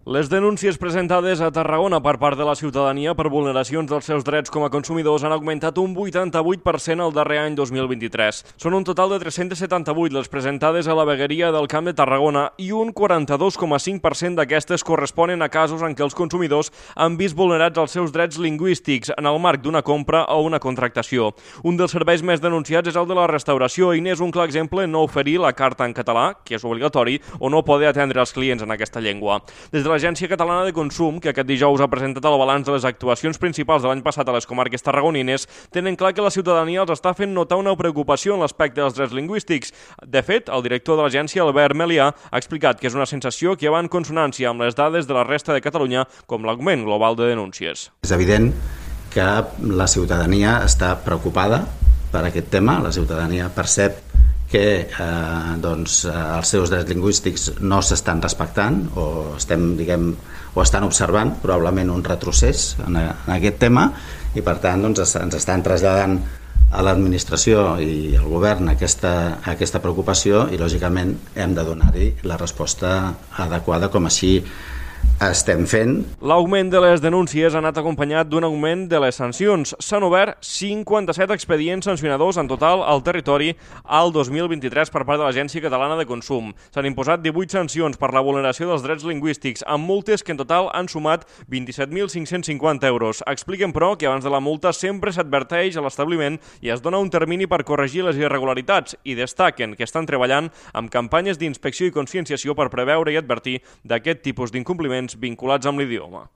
Les denúncies presentades a Tarragona per part de la ciutadania per vulneracions dels seus drets com a consumidors han augmentat un 88% el darrer any 2023. Són un total de 378 les presentades a la vegueria del Camp de Tarragona i un 42,5% d'aquestes corresponen a casos en què els consumidors han vist vulnerats els seus drets lingüístics en el marc d'una compra o una contractació. Un dels serveis més denunciats és el de la restauració i n'és un clar exemple no oferir la carta en català, que és obligatori, o no poder atendre els clients en aquesta llengua. Des de l'Agència Catalana de Consum, que aquest dijous ha presentat el balanç de les actuacions principals de l'any passat a les comarques tarragonines, tenen clar que la ciutadania els està fent notar una preocupació en l'aspecte dels drets lingüístics. De fet, el director de l'agència, Albert Melià, ha explicat que és una sensació que va en consonància amb les dades de la resta de Catalunya, com l'augment global de denúncies. És evident que la ciutadania està preocupada per aquest tema, la ciutadania percep que els seus drets lingüístics no s'estan respectant o estan observant probablement un retrocés en aquest tema i per tant ens estan traslladant a l'administració i al govern aquesta preocupació i lògicament hem de donar-hi la resposta adequada com així estem fent. L'augment de les denúncies ha anat acompanyat d'un augment de les sancions. S'han obert 57 expedients sancionadors en total al territori al 2023 per part de l'Agència Catalana de Consum. S'han imposat 18 sancions per la vulneració dels drets lingüístics, amb multes que en total han sumat 27.550 euros. Expliquen, però, que abans de la multa sempre s'adverteix a l'establiment i es dona un termini per corregir les irregularitats i destaquen que estan treballant amb campanyes d'inspecció i conscienciació per preveure i advertir d'aquest tipus d'incompliments vinculats amb l'idioma.